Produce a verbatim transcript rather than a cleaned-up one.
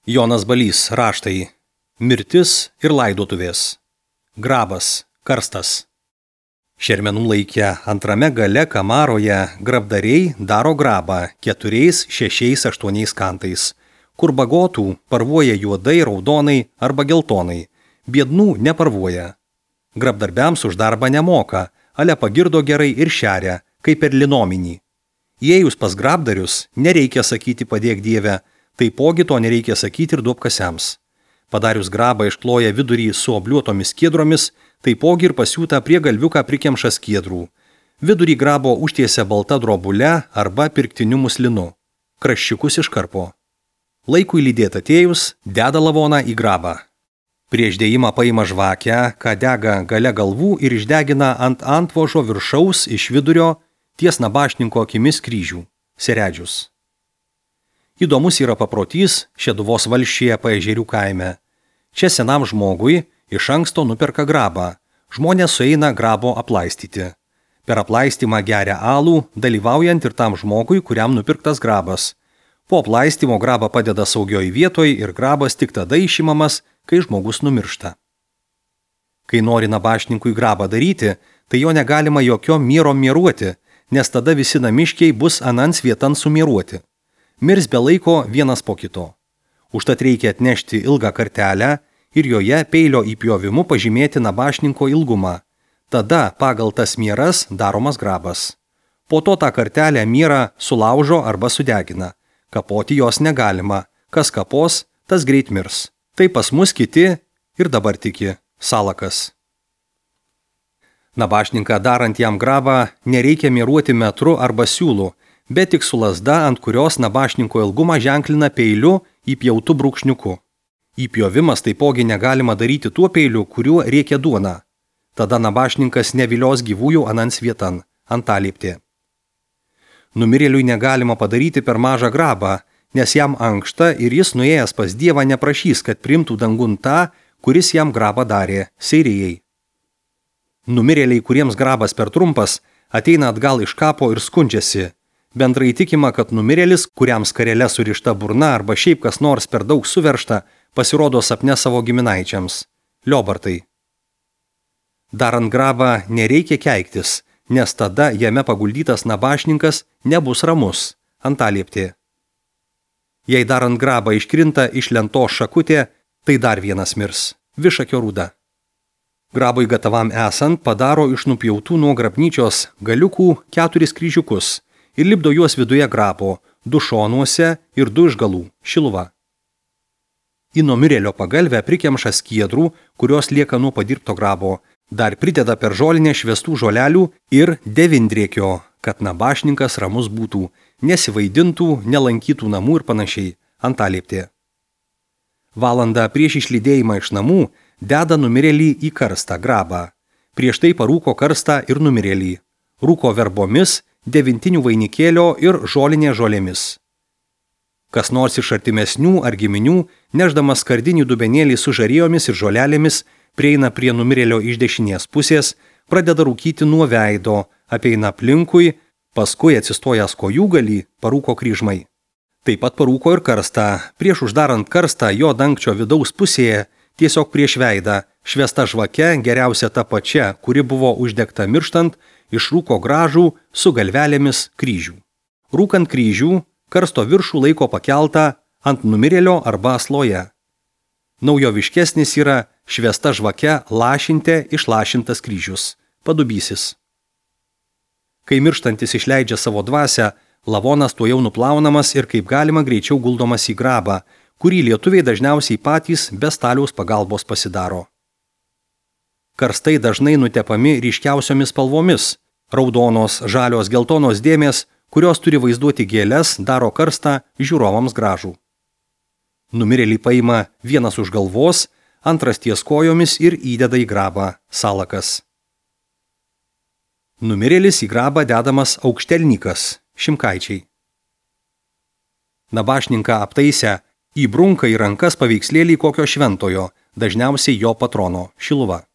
Jonas Balys, raštai. Mirtis ir laidotuvės. Grabas, karstas. Šermenų laike antrame gale kamaroje grabdariai daro grabą keturiais, šešiais, aštuoniais kantais, kur bagotų parvuoja juodai, raudonai arba geltonai, biednų neparvuoja. Grabdarbiams už darbą nemoka, ale pagirdo gerai ir šeria, kaip per linominį. Įėjus pas grabdarius, nereikia sakyti padėk Dieve, taipogi to nereikia sakyti ir duobkasiams. Padarius grabą iškloja vidurį su obliuotomis skiedromis, taipogi ir pasiūta prie galviuką prikemša skiedrų. Vidurį grabo užtiesia balta drobule arba pirktiniu muslinu. Kraščiukus iškarpo. Laikui lydėt atėjus, deda lavoną į grabą. Prieš dėjimą paima žvakę, ką dega gale galvų ir išdegina ant antvožo viršaus iš vidurio ties nabašninko akimis kryžių, seredžius. Įdomus yra paprotys Šeduvos valsčiuje Paežerių kaime. Čia senam žmogui iš anksto nuperka grabą. Žmonės sueina grabo aplaistyti. Per aplaistymą geria alų, dalyvaujant ir tam žmogui, kuriam nupirktas grabas. Po aplaistymo grabą padeda saugioj vietoj ir grabas tik tada išimamas, kai žmogus numiršta. Kai nori nabašninkui grabą daryti, tai jo negalima jokio miero mieruoti, nes tada visi namiškiai bus anans vietan sumieruoti. Mirs be laiko vienas po kito. Užtat reikia atnešti ilgą kartelę ir joje peilio įpjovimu pažymėti nabašninko ilgumą. Tada pagal tas mieras daromas grabas. Po to tą kartelę mierą sulaužo arba sudegina. Kapoti jos negalima. Kas kapos, tas greit mirs. Tai pas mus kiti ir dabar tiki. Salakas. Nabašninką darant jam grabą nereikia mieruoti metru arba siūlu, bet tik su lazda, ant kurios nabašninko ilgumą ženklina peiliu įpjautu brūkšniuku. Įpjovimas taipogi negalima daryti tuo peiliu, kuriuo riekia duona. Tada nabašninkas nevilios gyvųjų anans vietan, antalieptė. Numirėliui negalima padaryti per mažą grabą, nes jam ankšta ir jis nuėjęs pas Dievą neprašys, kad priimtų dangun tą, kuris jam grabą darė, seirijai. Numirėliai, kuriems grabas per trumpas, ateina atgal iš kapo ir skundžiasi. Bendrai tikima, kad numirėlis, kuriam skarele surišta burna arba šiaip kas nors per daug suveršta, pasirodo sapne savo giminaičiams. Liobartai. Darant grabą nereikia keiktis, nes tada jame paguldytas nabašninkas nebus ramus, antalieptė. Jei darant grabą iškrinta iš lentos šakutė, tai dar vienas mirs, višakio rūda. Grabui gatavam esant padaro iš nupjautų nuo grabnyčios galiukų keturis kryžiukus ir lipdo juos viduje grabo, du šonuose ir du iš galų, šiluva. Į numirėlio pagalvę prikemša skiedrų, kurios lieka nuo padirbto grabo, dar prideda per žolinę švestų žolelių ir devindriekio, kad nabašninkas ramus būtų, nesivaidintų, nelankytų namų ir panašiai, antalieptė. Valandą prieš išlydėjimą iš namų deda numirėlį į karstą grabą. Prieš tai parūko karstą ir numirėlį. Rūko verbomis, devintinių vainikėlio ir žolinė žolėmis. Kas nors iš artimesnių ar giminių, nešdamas skardinį dubenėlį su žarijomis ir žolelėmis, prieina prie numirėlio iš dešinės pusės, pradeda rūkyti nuo veido, apeina aplinkui, paskui atsistojęs kojūgalį, parūko kryžmai. Taip pat parūko ir karstą. Prieš uždarant karstą jo dangčio vidaus pusėje, tiesiog prieš veidą, švesta žvake, geriausia ta pačia, kuri buvo uždegta mirštant, išrūko gražų su galvelėmis kryžių. Rūkant kryžių, karsto viršų laiko pakeltą ant numirėlio arba asloje. Naujoviškesnis yra švesta žvake lašinte išlašintas kryžius, padubysis. Kai mirštantis išleidžia savo dvasią, lavonas tuo jau nuplaunamas ir kaip galima greičiau guldomas į grabą, kurį lietuviai dažniausiai patys be staliaus pagalbos pasidaro. Karstai dažnai nutepami ryškiausiomis spalvomis. Raudonos, žalios, geltonos dėmės, kurios turi vaizduoti gėles, daro karstą žiūrovams gražų. Numirėlį paima vienas už galvos, antras ties kojomis ir įdeda į grabą, salakas. Numirėlis į grabą dedamas aukštelnykas, šimkaičiai. Nabašninką aptaisę įbrunka į rankas paveikslėlį kokio šventojo, dažniausiai jo patrono, šiluva.